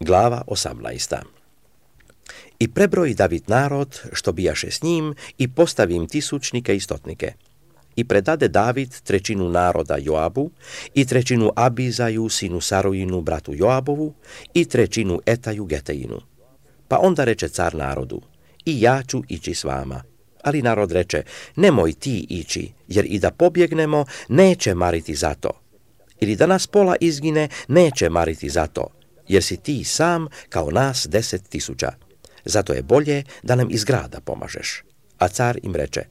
Glava 18. I prebroji David narod, što bijaše s njim, i postavi im tisućnike i stotnike. I predade David trećinu naroda Joabu, i trećinu Abizaju, sinu Sarujinu, bratu Joabovu, i trećinu Etaju Getejinu. Pa onda reče car narodu, i ja ću ići s vama. Ali narod reče, nemoj ti ići, jer i da pobjegnemo, neće mariti za to. Ili da nas pola izgine, neće mariti za to, jer si ti sam kao nas 10.000. Zato je bolje da nam iz grada pomažeš. A car im reče,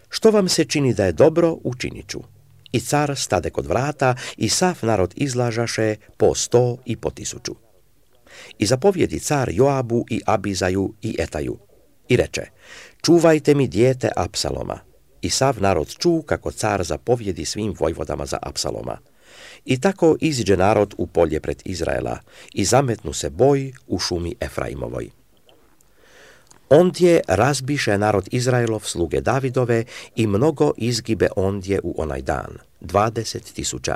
što vam se čini da je dobro, učinit ću. I car stade kod vrata i sav narod izlažaše po 100 i po 1000. I zapovjedi car Joabu i Abizaju i Etaju. I reče, čuvajte mi dijete Apsaloma. I sav narod ču kako car zapovjedi svim vojvodama za Apsaloma. I tako iziđe narod u polje pred Izraela i zametnu se boj u šumi Efraimovoj. Ondje razbiše narod Izraelov sluge Davidove i mnogo izgibe ondje u onaj dan, 20.000.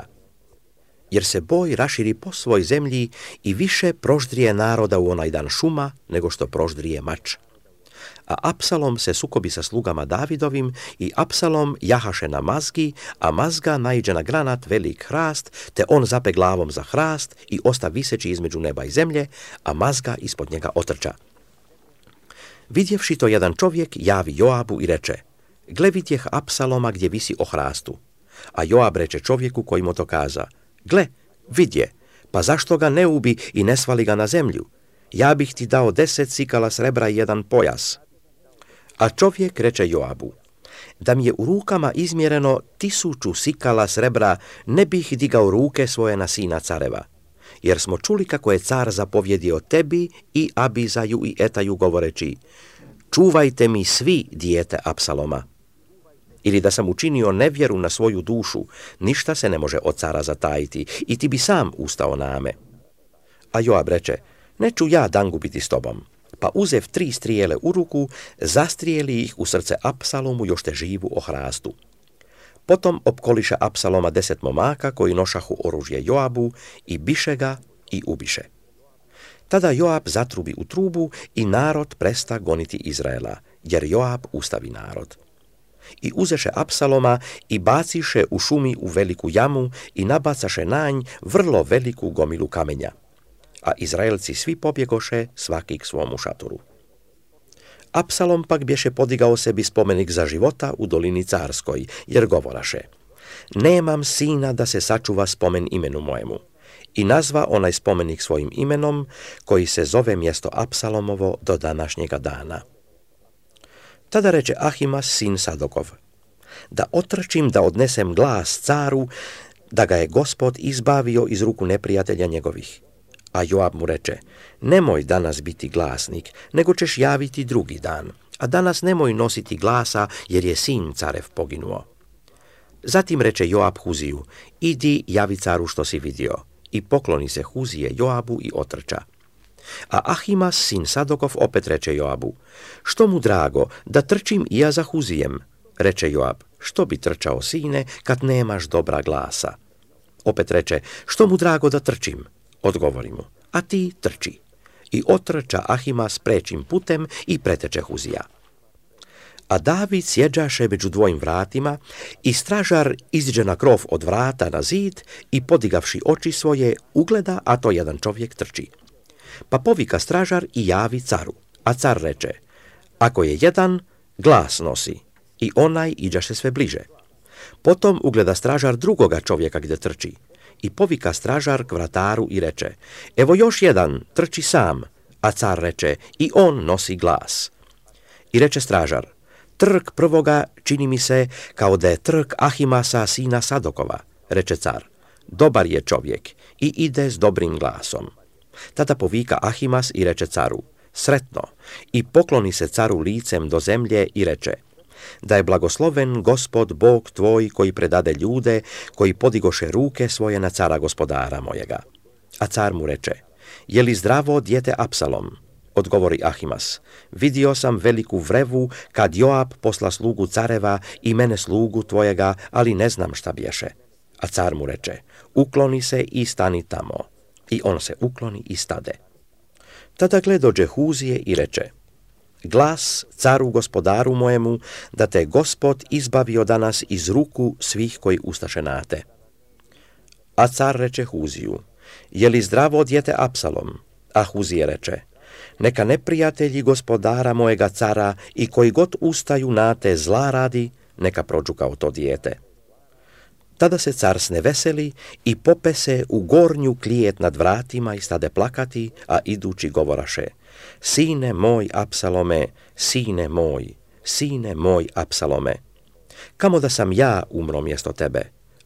Jer se boj raširi po svoj zemlji i više proždrije naroda u onaj dan šuma nego što proždrije mač. A Apsalom se sukobi sa slugama Davidovim i Apsalom jahaše na mazgi, a mazga naiđe na granat velik hrast, te on zape glavom za hrast i osta viseći između neba i zemlje, a mazga ispod njega otrča. Vidjevši to jedan čovjek javi Joabu i reče, gle vidjeh Apsaloma gdje visi o hrastu. A Joab reče čovjeku koji mu to kaza, gle, vidje, pa zašto ga ne ubi i ne svali ga na zemlju? Ja bih ti dao 10 sikala srebra i 1 pojas. A čovjek reče Joabu, da mi je u rukama izmjereno 1000 sikala srebra, ne bih digao ruke svoje na sina careva. Jer smo čuli kako je car zapovjedio tebi i Abizaju i Etaju govoreći, čuvajte mi svi dijete Apsaloma. Ili da sam učinio nevjeru na svoju dušu, ništa se ne može od cara zatajiti i ti bi sam ustao name. A Joab reče, neću ja dangubiti s tobom. Pa uzev 3 strijele u ruku, zastrijeli ih u srce Apsalomu još te živu o hrastu. Potom opkoliše Apsaloma 10 momaka koji nošahu oružje Joabu i biše ga i ubiše. Tada Joab zatrubi u trubu i narod presta goniti Izraela, jer Joab ustavi narod. I uzeše Apsaloma i baciše u šumi u veliku jamu i nabacaše na nj vrlo veliku gomilu kamenja. A Izraelci svi pobjegoše svaki k svomu šatoru. Apsalom pak bješe podigao sebi spomenik za života u dolini carskoj, jer govoraše, nemam sina da se sačuva spomen imenu mojemu. I nazva onaj spomenik svojim imenom, koji se zove mjesto Apsalomovo do današnjega dana. Tada reče Ahimas, sin Sadokov, da otrčim da odnesem glas caru, da ga je Gospod izbavio iz ruku neprijatelja njegovih. A Joab mu reče, nemoj danas biti glasnik, nego ćeš javiti drugi dan, a danas nemoj nositi glasa, jer je sin carev poginuo. Zatim reče Joab Huziju, idi javi caru što si vidio, i pokloni se Huzije Joabu i otrča. A Ahimas, sin Sadokov, opet reče Joabu, što mu drago, da trčim i ja za Huzijem. Reče Joab, što bi trčao, sine, kad nemaš dobra glasa? Opet reče, što mu drago da trčim? Odgovori mu, a ti trči. I otrča Ahimas prečim putem i preteče Huzija. A David sjeđaše među dvojim vratima i stražar iziđe na krov od vrata na zid i podigavši oči svoje ugleda, a to jedan čovjek trči. Pa povika stražar i javi caru, a car reče, ako je jedan, glas nosi, i onaj iđaše sve bliže. Potom ugleda stražar drugoga čovjeka gdje trči. I povika stražar k vrataru i reče, evo još jedan, trči sam, a car reče, i on nosi glas. I reče stražar, trk prvoga čini mi se kao da je trk Ahimasa, sina Sadokova. Reče car, dobar je čovjek i ide s dobrim glasom. Tada povika Ahimas i reče caru, sretno, i pokloni se caru licem do zemlje i reče, da je blagosloven Gospod Bog tvoj koji predade ljude, koji podigoše ruke svoje na cara gospodara mojega. A car mu reče, je li zdravo dijete Apsalom? Odgovori Ahimas, vidio sam veliku vrevu kad Joab posla slugu careva i mene slugu tvojega, ali ne znam šta bješe. A car mu reče, ukloni se i stani tamo. I on se ukloni i stade. Tada gledođe Huzije i reče: Glas caru gospodaru mojemu, da te Gospod izbavio danas iz ruku svih koji ustaše na te. A car reče Huziju: Je li zdravo dijete Apsalom? A Huzije reče: Neka neprijatelji gospodara mojega cara i koji god ustaju na te zla radi, neka prođu kao to dijete. Tada se car sneveseli i popese u gornju klijet nad vratima i stade plakati, a idući govoraše: Sine moj Apsalome, sine moj Apsalome, kamo da sam ja umro mjesto tebe,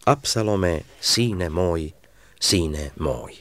Apsalome, sine moj, sine moj.